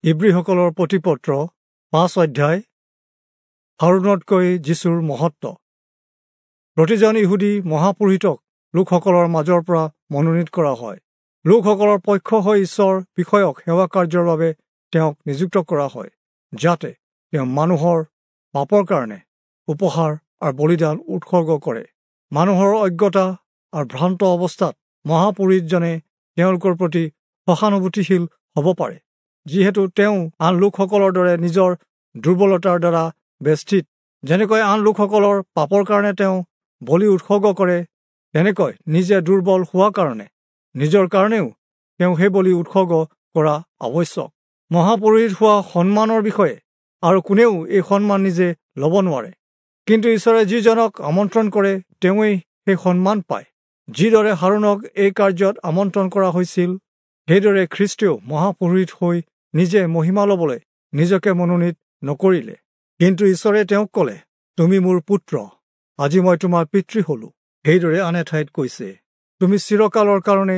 ইব্ৰীসকলৰ প্ৰতিপত্ৰ 5 অধ্যায় হাৰুণতকৈ যীশুৰ মহত্ব। প্ৰতিজন ইহুদী মহাপুৰোহিতক লোকসকলৰ মাজৰ পৰা মনোনীত কৰা হয়। লোকসকলৰ পক্ষ হৈ ঈশ্বৰ বিষয়ক সেৱা কাৰ্যৰ বাবে তেওঁক নিযুক্ত কৰা হয়, যাতে তেওঁ মানুহৰ পাপৰ কাৰণে উপহাৰ আৰু বলিদান উৎসৰ্গ কৰে। মানুহৰ অজ্ঞতা আৰু ভ্ৰান্ত অৱস্থাত মহাপুৰোহিতজনে তেওঁলোকৰ প্ৰতি সহানুভূতিশীল হ'ব পাৰে, যিহেতু তেওঁ আন লোকসকলৰ দৰে নিজৰ দুৰ্বলতাৰ দ্বাৰা বেষ্টিত। যেনেকৈ আন লোকসকলৰ পাপৰ কাৰণে তেওঁ বলি উৎসৰ্গ কৰে, তেনেকৈ নিজে দুৰ্বল হোৱা কাৰণে নিজৰ কাৰণেও তেওঁ সেই বলি উৎসৰ্গ কৰা আৱশ্যক। মহাপুৰোহিত হোৱা সন্মানৰ বিষয়ে আৰু কোনেও এই সন্মান নিজে ল'ব নোৱাৰে, কিন্তু ঈশ্বৰে যিজনক আমন্ত্ৰণ কৰে তেওঁৱেই সেই সন্মান পায়। যিদৰে হাৰুণক এই কাৰ্যত আমন্ত্ৰণ কৰা হৈছিল, সেইদৰে খ্ৰীষ্টেও মহাপুৰোহিত হৈ নিজে মহিমা ল'বলৈ নিজকে মনোনীত নকৰিলে। কিন্তু ঈশ্বৰে তেওঁক ক'লে, তুমি মোৰ পুত্ৰ, আজি মই তোমাৰ পিতৃ হলো। সেইদৰে আন এঠাইত কৈছে, তুমি চিৰকালৰ কাৰণে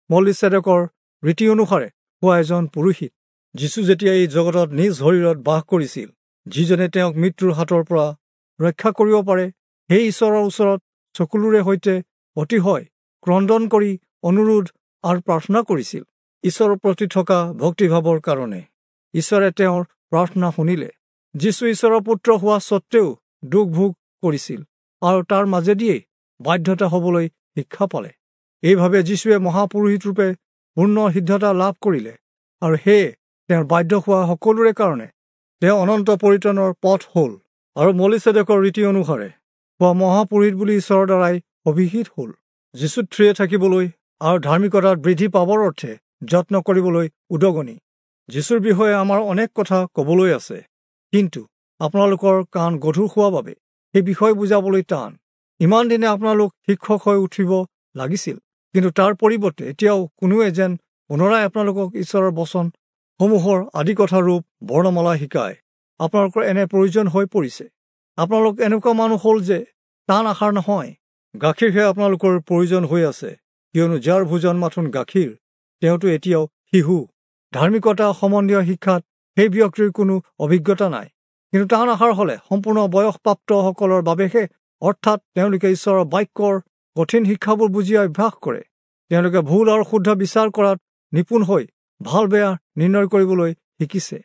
মলিচেদেকৰ ৰীতি অনুসাৰে হোৱা এজন পুৰোহিত। যীশু যেতিয়া এই জগতত নিজ শৰীৰত বাস কৰিছিল, যিজনে তেওঁক মৃত্যুৰ হাতৰ পৰা ৰক্ষা কৰিব পাৰে, সেই ঈশ্বৰৰ ওচৰত চকুলোৰে সৈতে অতিশয় ক্ৰদন কৰি অনুৰোধ আৰু প্ৰাৰ্থনা কৰিছিল। ঈশ্বৰৰ প্ৰতি থকা ভক্তিভাৱৰ কাৰণে ঈশ্বৰে তেওঁৰ প্ৰাৰ্থনা শুনিলে। যীশু ঈশ্বৰৰ পুত্ৰ হোৱা স্বত্তেও দুখ ভোগ কৰিছিল আৰু তাৰ মাজেদিয়েই বাধ্যতা হ'বলৈ শিক্ষা পালে। এইভাৱে যীশুৱে মহাপুৰোহিত ৰূপে পূৰ্ণ সিদ্ধতা লাভ কৰিলে আৰু সেয়ে তেওঁৰ বাধ্য হোৱা সকলোৰে কাৰণে তেওঁ অনন্ত পৰিত্ৰাণৰ পথ হ'ল আৰু মলিচেদেকৰ ৰীতি অনুসাৰে হোৱা মহাপুৰোহিত বুলি ঈশ্বৰৰ দ্বাৰাই অভিহিত হ'ল। যীশুত থিৰে থাকিবলৈ আৰু ধাৰ্মিকতাত বৃদ্ধি পাবৰ অৰ্থে যত্ন কৰিবলৈ উদগনি। যীশুৰ বিষয়ে আমাৰ অনেক কথা ক'বলৈ আছে, কিন্তু আপোনালোকৰ কাণ গধুৰ হোৱা বাবে সেই বিষয় বুজাবলৈ টান। ইমান দিনে আপোনালোক শিক্ষক হৈ উঠিব লাগিছিল, কিন্তু তাৰ পৰিৱৰ্তে এতিয়াও কোনোৱে যেন পুনৰাই আপোনালোকক ঈশ্বৰৰ বচন সমূহৰ আদিকথা ৰূপ বৰ্ণমালা শিকায়। আপোনালোকৰ এনে প্ৰয়োজন হৈ পৰিছে। আপোনালোক এনেকুৱা মানুহ হ'ল যে টান আশাৰ নহয়, গাখীৰহে আপোনালোকৰ প্ৰয়োজন হৈ আছে, কিয়নো যাৰ ভোজন মাথোন গাখীৰ, তেওঁতো এতিয়াও শিশু। ধাৰ্মিকতা সম্বন্ধীয় শিক্ষাত সেই ব্যক্তিৰ কোনো অভিজ্ঞতা নাই, কিন্তু টান আশাৰ হ'লে সম্পূৰ্ণ বয়সপ্ৰাপ্তসকলৰ বাবেহে, অৰ্থাৎ তেওঁলোকে ঈশ্বৰৰ বাক্যৰ কঠিন শিক্ষাবোৰ বুজি অভ্যাস কৰে। তেওঁলোকে ভুল আৰু শুদ্ধ বিচাৰ কৰাত নিপুণ হৈ ভাল বেয়া নিৰ্ণয় কৰিবলৈ শিকিছে।